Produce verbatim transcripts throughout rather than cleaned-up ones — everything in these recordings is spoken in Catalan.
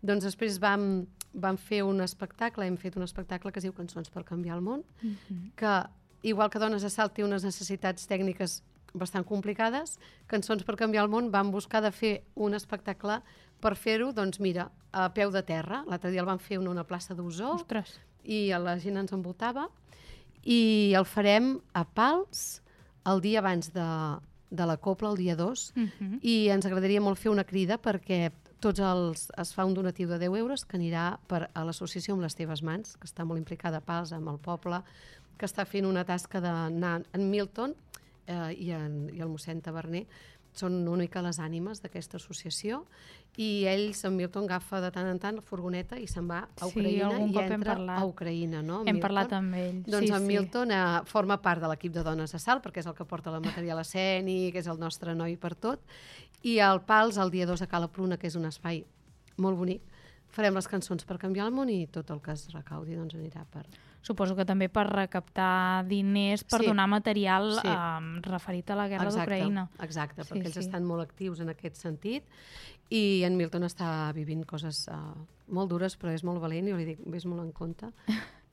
Doncs després vam, vam fer un espectacle, hem fet un espectacle que es diu Cançons per canviar el món, Mhm. que, igual que Dones a Salt té unes necessitats tècniques bastant complicades, Cançons per canviar el món van buscar de fer un espectacle per fer-ho, doncs mira, a peu de terra. L'altre dia el van fer en una plaça d'Osor Ostres. i la gent ens envoltava, i el farem a Pals el dia abans de, de la Copla, el dia dos, Mhm. i ens agradaria molt fer una crida perquè tots els, es fa un donatiu de deu euros que anirà per a l'associació Amb les teves mans, que està molt implicada a Pals, amb el poble, que està fent una tasca d'anar en Milton eh, i, en, i el mossèn Taverner són una mica les ànimes d'aquesta associació, i ells, en Milton, agafa de tant en tant la furgoneta i se'n va a Sí, Ucraïna algun i cop hem entra parlat. a Ucraïna, no? en Hem Milton. parlat amb ell. Doncs sí, en sí. Milton eh, forma part de l'equip de Dones a Salt, perquè és el que porta el material escènic, és el nostre noi per tot, i al Pals, el dia dos a Cala Pruna, que és un espai molt bonic, farem les cançons per canviar el món i tot el que es recaudi doncs anirà per... Suposo que també per recaptar diners per Sí. donar material Sí. um, referit a la guerra Exacte, d'Ucraïna. exacte, Sí, perquè ells sí. estan molt actius en aquest sentit, i en Milton està vivint coses uh, molt dures, però és molt valent, jo li dic, vés molt en compte,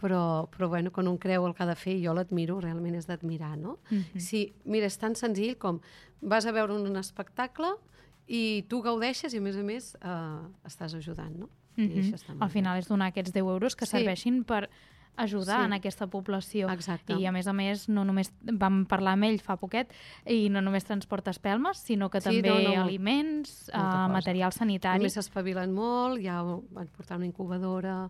però, però bueno, quan un creu el que ha de fer, jo l'admiro, realment és d'admirar, no? Mhm. Sí, mira, és tan senzill com vas a veure un espectacle i tu gaudeixes i, a més a més, uh, estàs ajudant, no? I Mhm. això està molt Al bé. final és donar aquests deu euros que Sí. serveixin per ajudar Sí. en aquesta població. Exacte. I a més a més, no només vam parlar amb ell fa poquet, i no només transporta espelmes, sinó que Sí, també no, no, aliments, molta uh, cosa. material sanitari. Només s'espavilen molt, ja van portar una incubadora,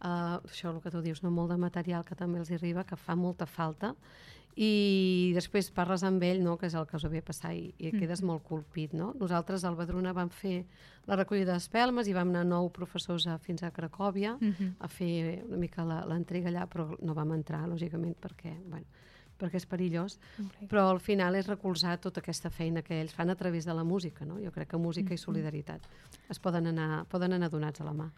uh, això el que tu dius, no? Molt de material que també els arriba, que fa molta falta, i després parles amb ell, no? Que és el que us havia passat, i, i quedes molt colpit, no? Nosaltres al Badruna vam fer la recollida d'espelmes i vam anar nou professors a, fins a Cracòvia Mhm. a fer una mica la- l'entrega allà, però no vam entrar, lògicament, perquè, bueno, perquè és perillós, Ok. però al final és recolzar tota aquesta feina que ells fan a través de la música, no? Jo crec que música i solidaritat es poden anar, poden anar donats a la mà.